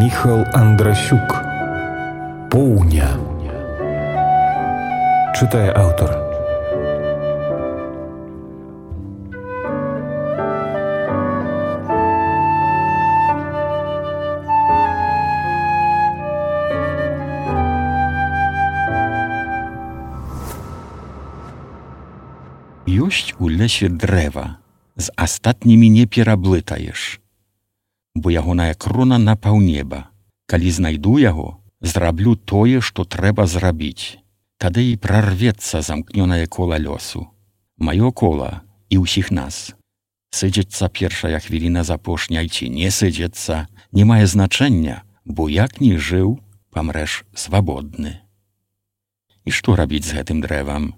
Міхал Андрасюк. Поўня. Чытае аўтар. Ёсць у лесе дрэва, з астатнімі не пераблытаеш, бо ягоная крона на паўнеба. Калі знайду яго, зраблю тое, што трэба зрабіць. Тады і прарвецца замкнёнае кола лёсу. Маё кола і ўсіх нас. Сыдзецца першая хвіліна з апошняй ці не сыдзецца, не мае значэння, бо як ні жыў, памрэш свабодны. І што рабіць з гэтым дрэвам?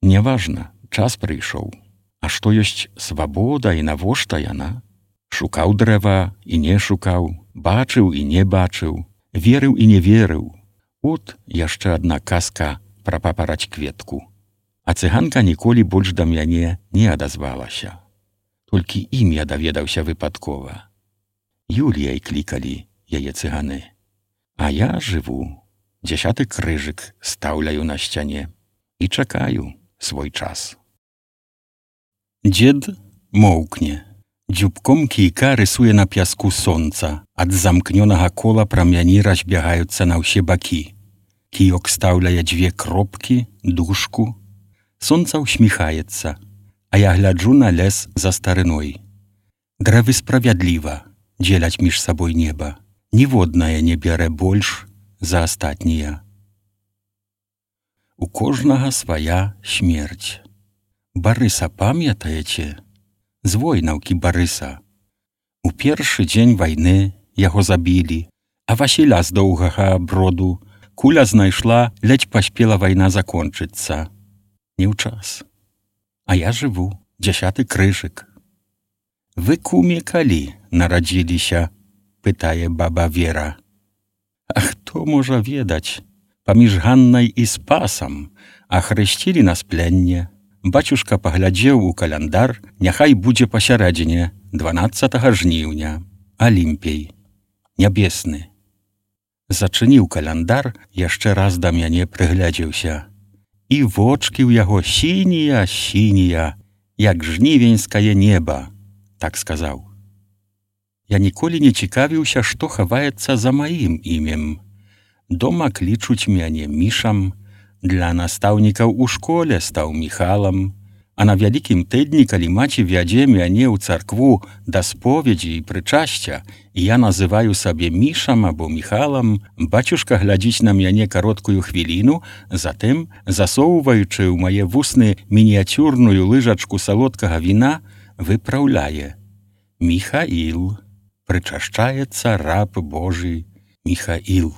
Няважна, час прыйшоў. А што ёсць свабода і навошта яна? Шукаў дрэва і не шукаў, бачыў і не бачыў, верыў і не верыў. От яшчэ адна казка пра папараць кветку. А цыганка ніколі больш да мяне не адазвалася. Толькі імя даведаўся выпадкова. Юліяй клікалі яе цыганы. А я жыву, 10 крыжык стаўляю на сцяне і чакаю свой час. Дзед моўкне. Дзюбком кійка рысуе на пяску сонца. Ад замкнёнага кола прамяні разбягаюцца на ўсе бакі. Кіёк стаўляе 2 кропкі, дужку. Сонца ўсміхаецца, а я гляджу на лес за старыной. Дрэвы справядліва дзеляць між сабой неба. Ніводнае не бярэ больш за астатнія. У кожнага свая смерць. Барыса памятаеце? З войнаўкі Барыса. У першы дзень вайны яго забілі, а Васіля з доўгага броду куля знайшла, ледзь паспела вайна закончыцца. Не ў час. А я жыву, 10 крыжык. Вы, куме, калі нарадзіліся? Пытае баба Вера. А хто можа ведаць? Паміж Ганнай і Спасам ахрысцілі нас пленне. Бацюшка паглядзеў у каляндар, няхай будзе пасярэдзіне 12 жніўня. Алімпій. Нябесны. Зачыніў каляндар, яшчэ раз да мяне прыглядзеўся. І вочкі ў яго сінія, як жнівеньскае неба, так сказаў. Я ніколі не цікавіўся, што хаваецца за маім імем. Дома клічуць мяне Мішам, для настаўнікаў у школе стаў Міхалам, а на вялікім тыдні, калі маці вядзе мяне ў царкву да споведзі і прычасця, і я называю сабе Мішам або Міхалам, бацюшка глядзіць на мяне кароткую хвіліну, затым, засоўваючы ў мае вусны мініяцюрную лыжачку салодкага віна, выпраўляе: Міхаіл, прычашчаецца раб Божы Міхаіл.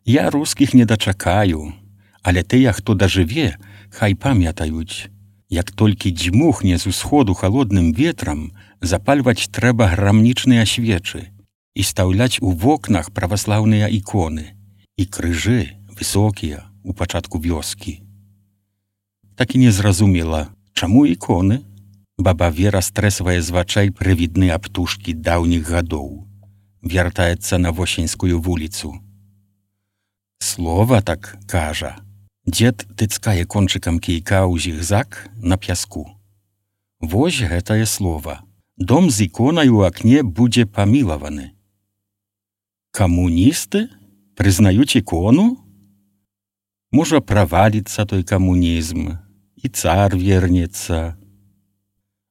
Я рускіх не дачакаю, але тыя, хто дажыве, хай памятаюць. Як толькі дзьмухне з усходу халодным ветрам, запальваць трэба грамнічныя свечы і стаўляць у вокнах праваслаўныя іконы і крыжы высокія у пачатку вёскі. Так і не зразумела, чаму іконы? Баба Вера стрэсвае з вачай прывідныя аптушкі даўніх гадоў. Вяртаецца на Восеньскую вуліцу. Слова так кажа. Дзед тыцкае кончыкам кійка ў зігзаг на пяску. Вось гэтае слова. Дом з іконай у акне будзе памілаваны. Камуністы прызнаюць ікону? Можа, праваліцца той камунізм, і цар вернецца.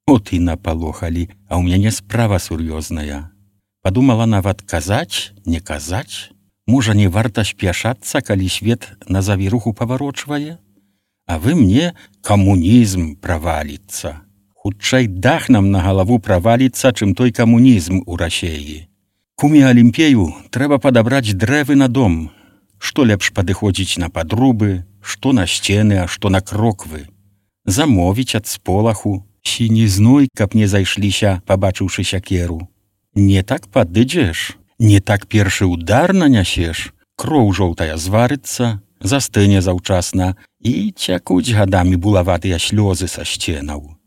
От і напалохалі, а ў мяне справа сур'ёзная. Падумала нават казаць, не казаць. Можа, не варта спяшацца, калі свет на завіруху паварочвае? А вы мне: камунізм праваліцца. Хутчэй дах нам на галаву праваліцца, чым той камунізм у Расеі. Куме Алімпею трэба падабраць дрэвы на дом. Што лепш падыходзіць на падрубы, што на сцены, а што на кроквы. Замовіць ад сполаху, сінізной, каб не зайшліся, пабачыўшы сякеру. Не так падыдзеш, не так першы удар нанясеш, кроў жоўтая зварыцца, застыне заўчасна і цякуць гадамі булаватыя слёзы са сценаў.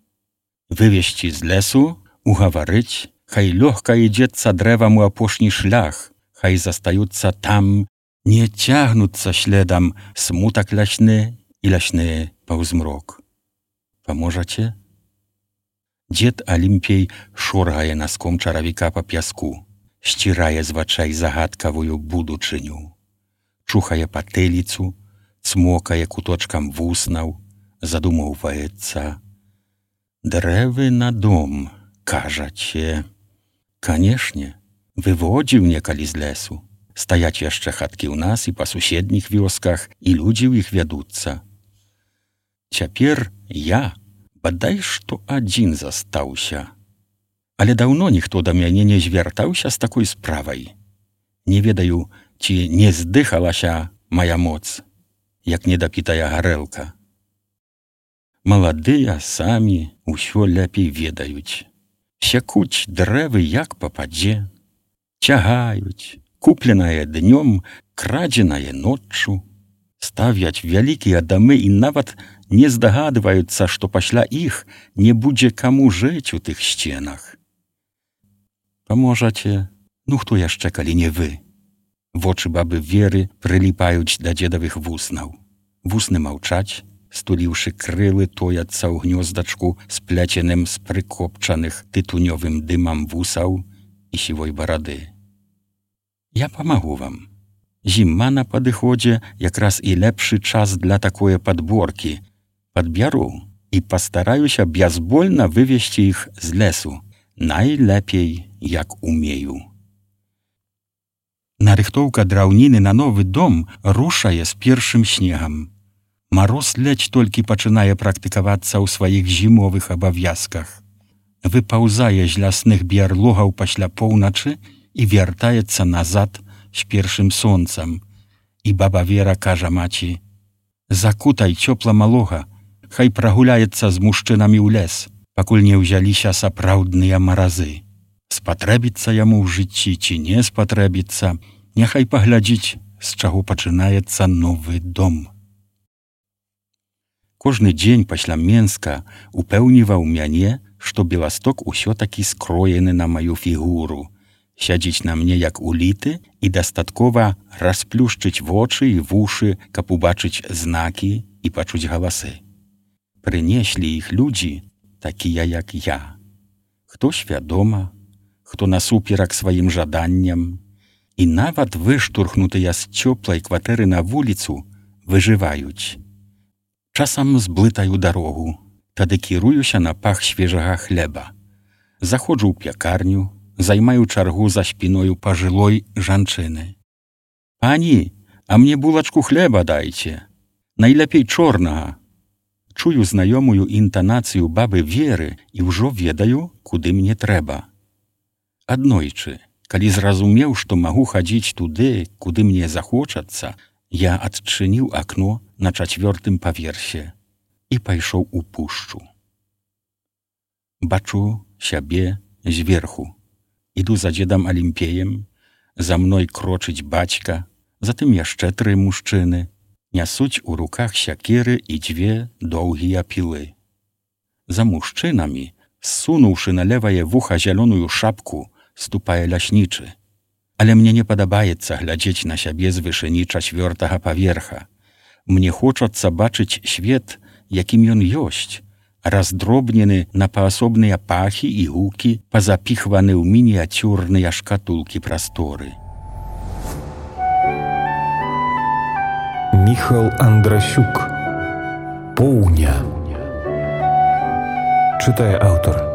Вывесці з лесу, угаварыць, Хай лёгка ідзецца дрэвам у апошні шлях, хай застаюцца там, не цягнуцца следам смутак лясны і лясны паўзмрок. Паможаце? Дзед Алімпей шоргае наском чаравіка па пяску, сцірае з вачай загадкавую будучыню, чухае патыліцу, цмокае куточкам вуснаў, задумаўваецца. Дрэвы на дом, кажаце. Канешне, выводзіў некалі з лесу. Стаяць яшчэ хаткі ў нас і па суседніх вёсках, і людзі ў іх вядуцца. Цяпер я, бадай што адзін застаўся. Але даўно ніхто да мяне не звяртаўся з такой справай. Не ведаю, ці не здыхалася мая моц, як недапітая гарэлка. Маладыя самі ўсё лепей ведаюць. Сякуць дрэвы як пападзе, цягаюць, купленае днём, крадзенае ноччу, ставяць вялікія дамы і нават не здагадваюцца, што пасля іх не будзе каму жыць у тых сценах. Паможаце, хто яшчэ, калі не вы? Вочы бабы Веры прыліпаюць да дзедавых вуснаў. Вусны маўчаць, стуліўшы крылы, тояцца ў гнёздачку, спляценым з прыкопчаных тытунёвым дымам вусаў і сівой барады. Я памагу вам. Зіма на падыходзе, якраз і лепшы час для такое падборкі. Падбяру і пастараюся бязбольна вывесці іх з лесу. Найлепей, як умею. Нарыхтоўка драўніны на новы дом рушае з першым снегам. Мароз ледзь толькі пачынае практыкавацца ў сваіх зімовых абавязках. Выпаўзае з лясных біярлогаў пасля поўначы і вяртаецца назад з першым сонцам. І баба Вера кажа маці: «Закутай цёпла малога, хай прагуляецца з мужчынамі ў лес, пакуль не ўзяліся сапраўдныя маразы. Спатрэбіцца яму ў жыцці ці не спатрэбіцца, няхай паглядзіць, з чаго пачынаецца новы дом». Кожны дзень пасля Менска упэўніваў мяне, што Беласток усё-такі скроены на маю фігуру, сядзіць на мне як уліты і дастаткова расплюшчыць вочы і вушы, каб убачыць знакі і пачуць галасы. Прынеслі іх людзі, такія як я. Хто свядома, хто насуперак сваім жаданням, і нават выштурхнутыя з цёплай кватэры на вуліцу выжываюць. Часам зблытаю дарогу, тады кіруюся на пах свежага хлеба. Заходжу ў пякарню, займаю чаргу за спіною пажылой жанчыны. «Пані, а мне булачку хлеба дайце, найлепей чорнага». Чую знаёмую інтанацыю бабы Веры і ўжо ведаю, куды мне трэба. Аднойчы, калі зразумеў, што магу хадзіць туды, куды мне захочацца, я адчыніў акно на 4-м паверсе і пайшоў у пушчу. Бачу сябе зверху. Іду за дзедам Алімпеем, за мной крочыць бацька, затым яшчэ 3 мужчыны. Нясуць у руках сякеры і 2 доўгія пілы. За мужчынамі, ссунуўшы на левае вуха зялёную шапку, ступае ляснічы. Але мне не падабаецца глядзець на сябе з вышыні 4-го паверха. Мне хочацца бачыць свет, якім ён ёсць, раздробнены на паасобныя пахі і гукі, пазапіхваны ў мініяцюрныя шкатулкі прасторы. Міхал Андрасюк. Поўня. Чытае аўтар.